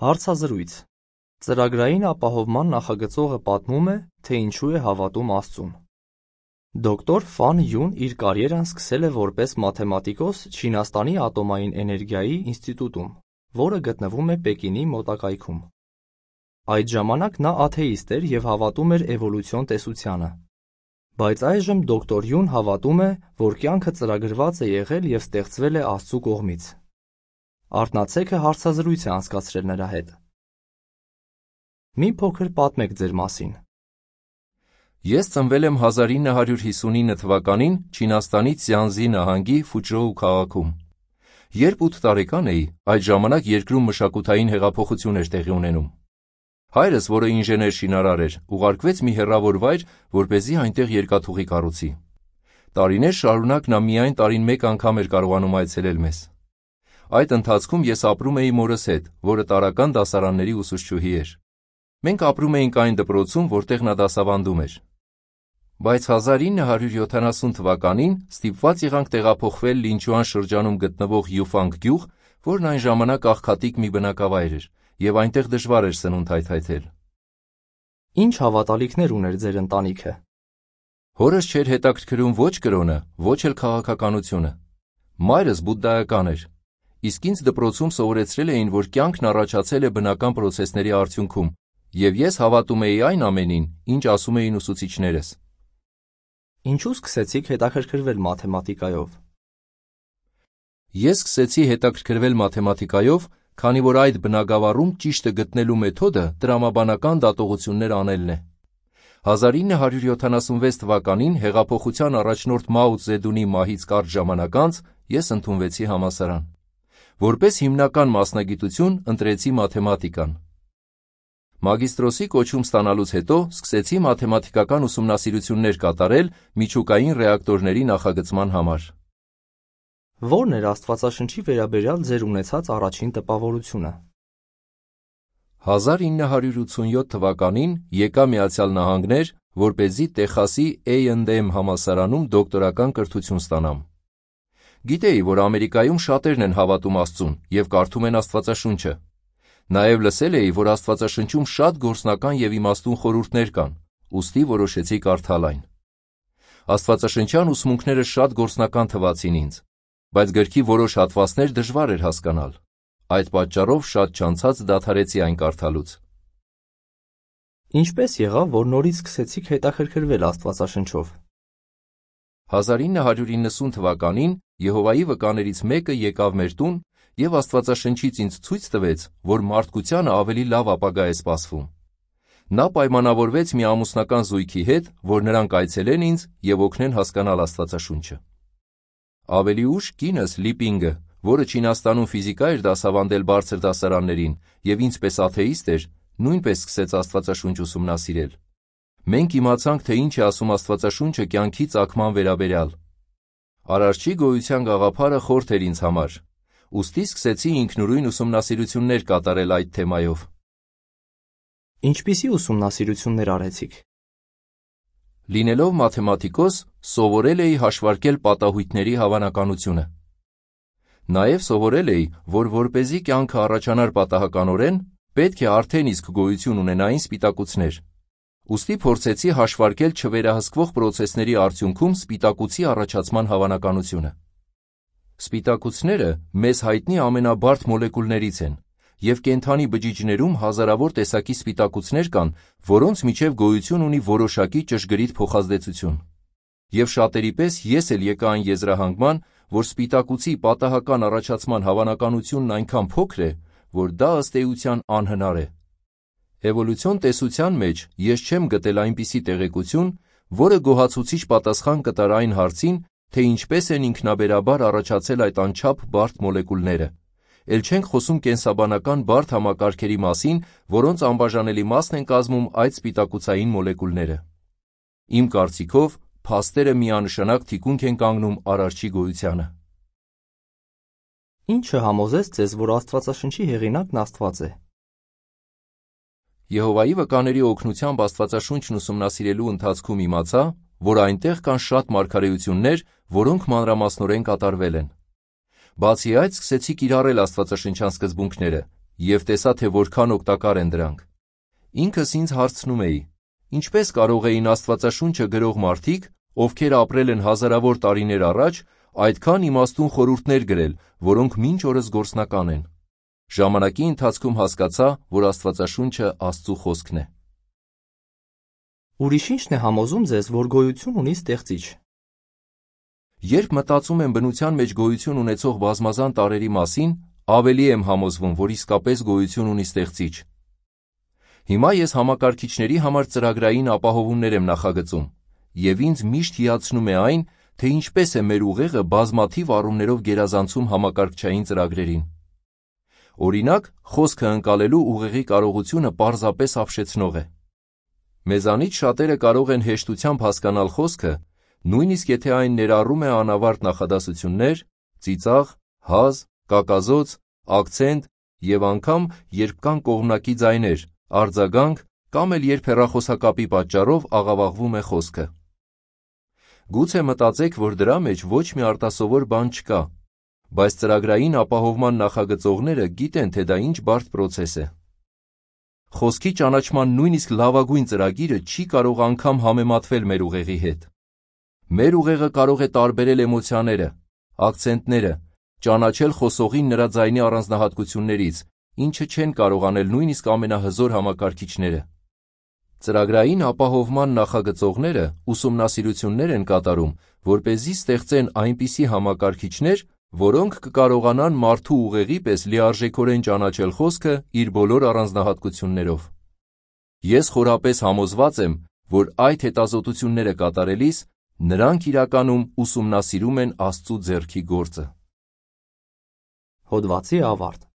Հարցազրույց. Ծրագրային ապահովման նախագծողը պատմում է, թե ինչու է հավատում Աստծուն։ Դոկտոր Ֆան Յուն իր կարիերան սկսել է որպես մաթեմատիկոս Չինաստանի ատոմային էներգիայի ինստիտուտում, որը գտնվում է Պեկինի մոտակայքում։ Այդ ժամանակ նա աթեիստ էր և հավատում էր էվոլյուցիոն տեսությանը։ Բայց այժմ դոկտոր Յուն հավատում է, որ կյանքը ծրագրված է եղել և ստեղծվել է Աստծու կողմից։ Արթնացեքը հարցազրույց է անցկացրել նրա հետ։ Մի փոքր պատմեք ձեր մասին։ Ես ծնվել եմ 1959 թվականին Չինաստանի Ցյանզի նահանգի Ֆուչժոու քաղաքում։ Երբ 8 տարեկան էի, այդ ժամանակ երկրում մշակութային հեղափոխություն էր տեղի ունենում։ Հայրս, որը ինժեներ-շինարար էր, ուղարկվեց մի հեռավոր վայր, որպեսզի այնտեղ երկաթուղի կառուցի։ Տարիներ շարունակ նա միայն տարին մեկ անգամ էր կարողանում այցելել մեզ։ Այդ ընթացքում ես ապրում էի մորս հետ, որը տարրական դասարանների ուսուցչուհի էր։ Մենք ապրում էինք այն դպրոցում, որտեղ նա դասավանդում էր։ Բայց 1970 թվականին ստիպված եղանք տեղափոխվել Լինչուան շրջանում գտնվող Յուֆանգ գյուղ, որն այն ժամանակ աղքատիկ մի բնակավայր էր, և այնտեղ դժվար էր սնունդ հայթայթել։ Ինչ հավատալիքներ ուներ ձեր ընտանիքը։ Հորս չէր հետաքրքրում ոչ կրոնը, ոչ էլ քաղաքականությունը։ Մայրս բուդդայական էր, իսկ ինձ դպրոցում սովորեցրել էին, որ կյանքն առաջացել է բնական պրոցեսների արդյունքում, և ես հավատում էի այն ամենին, ինչ ասում էին ուսուցիչներս։ Ինչու սկսեցիք հետաքրքրվել մաթեմատիկայով։ Ես սկսեցի հետաքրքրվել մաթեմատիկայով, քանի որ այդ բնագավառում ճիշտը գտնելու մեթոդը տրամաբանական դատողություններ անելն է։ 1976 թվականին հեղափոխության առաջնորդ Մաո Ցզեդունի մահից կարճ ժամանակ անց ես ընդունվեցի համալսարան։ Որպես հիմնական մասնագիտություն ընտրեցի մաթեմատիկան։ Մագիստրոսի կոչում ստանալուց հետո սկսեցի մաթեմատիկական ուսումնասիրություններ կատարել միջուկային ռեակտորների նախագծման համար։ Ո՞րն էր Աստվածաշնչի վերաբերյալ ձեր ունեցած առաջին տպավորությունը։ 1987 թվականին եկա Միացյալ Նահանգներ, որպեսզի Տեխասի A&M համալսարանում դոկտորական կրթություն ստանամ։ Գիտեի, որ Ամերիկայում շատերն են հավատում Աստծուն և կարդում են Աստվածաշունչը։ Նաև լսել էի, որ Աստվածաշնչում շատ գործնական և իմաստուն խորհուրդներ կան, ուստի որոշեցի կարդալ այն։ Աստվածաշնչյան ուսմունքները շատ գործնական թվացին ինձ, բայց գրքի որոշ հատվածներ դժվար էր հասկանալ։ Այդ պատճառով շատ չանցած դադարեցի այն կարդալուց։ Ինչպես եղավ, որ նորից սկսեցիք հետաքրքրվել Աստվածաշնչով։ 1990 թվականին Եհովայի վկաներից մեկը եկավ մեր տուն և Աստվածաշնչից ինձ ցույց տվեց, որ մարդկությանը ավելի լավ ապագա է սպասվում։ Նա պայմանավորվեց մի ամուսնական զույգի հետ, որ նրանք այցելեն ինձ և օգնեն հասկանալ Աստվածաշունչը։ Ավելի ուշ կինս Լիպինգը, որը Չինաստանում ֆիզիկա էր դասավանդել բարձր դասարաններին և ինձպես աթեիստ էր, նույնպես սկսեց Աստվածաշունչ ուսումնասիրել։ Մենք իմացանք, թե ինչ է ասում Աստվածաշունչը կյանքի ծագման վերաբերյալ։ Արարչի գոյության գաղափարը խորթ էր ինձ համար, ուստի սկսեցի ինքնուրույն ուսումնասիրություններ կատարել այդ թեմայով։ Ինչպիսի ուսումնասիրություններ արեցիք։ Լինելով մաթեմատիկոս, սովորել էի հաշվարկել պատահույթների հավանականությունը։ Նաև սովորել էի, որ որպեսզի կյանքը առաջանար պատահականորեն, պետք է արդեն իսկ գոյություն ունենային սպիտակուցներ։ Ուստի փորձեցի հաշվարկել չվերահսկվող պրոցեսների արդյունքում սպիտակուցի առաջացման հավանականությունը։ Սպիտակուցները մեզ հայտնի ամենաբարդ մոլեկուլներից են, և կենդանի բջիջներում հազարավոր տեսակի սպիտակուցներ կան, որոնց միջև գոյություն ունի որոշակի ճշգրիտ փոխազդեցություն։ Եվ շատերի պես ես էլ եկա այն եզրահանգման, որ սպիտակուցի պատահական առաջացման հավանականությունն այնքան փոքր է, որ դա ըստ էության անհնար է։ Էվոլյուցիոն տեսության մեջ ես չեմ գտել այնպիսի տեղեկություն, որը գոհացուցիչ պատասխան կտար այն հարցին, թե ինչպես են ինքնաբերաբար առաջացել այդ անչափ բարդ մոլեկուլները։ Էլ չենք խոսում կենսաբանական բարդ համակարգերի մասին, որոնց անբաժանելի մասն են կազմում այդ սպիտակուցային մոլեկուլները։ Իմ կարծիքով, փաստերը միանշանակ թիկունք են կանգնում Արարչի գոյությանը։ Ինչը համոզեց ձեզ, որ Աստվածաշնչի հեղինակն Աստված է։ Եհովայի վկաների օգնությամբ Աստվածաշունչն ուսումնասիրելու ընթացքում իմացա, որ այնտեղ կան շատ մարգարեություններ, որոնք մանրամասնորեն կատարվել են։ Բացի այդ, սկսեցի կիրառել աստվածաշնչյան սկզբունքները, և տեսա, թե որքան օգտակար են դրանք։ Ինքս ինձ հարցնում էի. ինչպես կարող էին Աստվածաշունչը գրող մարդիկ, ովքեր ապրել են հազարավոր տարիներ առաջ, այդքան իմաստուն խորհուրդներ գրել, որոնք մինչ օրս գործնական են։ Ժամանակի ընթացքում հասկացա, որ Աստվածաշունչը Աստծու խոսքն է։ Ուրիշ ի՞նչն է համոզում ձեզ, որ գոյություն ունի Ստեղծիչ։ Երբ մտածում եմ բնության մեջ գոյություն ունեցող բազմազան տարրերի մասին, ավելի եմ համոզվում, որ իսկապես գոյություն ունի Ստեղծիչ։ Հիմա ես համակարգիչների համար ծրագրային ապահովումներ եմ նախագծում, և ինձ միշտ հիացնում է այն, թե ինչպես է մեր ուղեղը բազմաթիվ առումներով գերազանցում համակարգչային ծրագրերին։ Օրինակ, խոսքը ընկալելու ուղեղի կարողությունը պարզապես ապշեցնող է։ Մեզանից շատերը կարող են հեշտությամբ հասկանալ խոսքը, նույնիսկ եթե այն ներառում է անավարտ նախադասություններ, ծիծաղ, հազ, կակազոց, ակցենտ և անգամ երբ կան կողմնակի ձայներ, արձագանք կամ էլ երբ հեռախոսակապի պատճառով աղավաղվում է խոսքը։ Գուցե մտածեք, որ դրա մեջ ոչ մի արտասովոր բան չկա, բայց ծրագրային ապահովման նախագծողները գիտեն, թե դա ինչ բարդ պրոցես է։ Խոսքի ճանաչման նույնիսկ լավագույն ծրագիրը չի կարող անգամ համեմատվել մեր ուղեղի հետ։ Մեր ուղեղը կարող է տարբերել էմոցիաները, ակցենտները, ճանաչել խոսողին նրա ձայնի առանձնահատկություններից, ինչը չեն կարող անել նույնիսկ ամենահզոր համակարգիչները։ Ծրագրային ապահովման նախագծողները ուսումնասիրություններ են կատարում, որպեսզի ստեղծեն այնպիսի համակարգիչներ, որոնք կկարողանան մարդու ուղեղի պես լիարժեքորեն ճանաչել խոսքը իր բոլոր առանձնահատկություններով։ Ես խորապես համոզված եմ, որ այդ հետազոտությունները կատարելիս նրանք իրականում ուսումնասիրում են Աստծու ձեռքի գործը։ Հոդվացի ավարտ։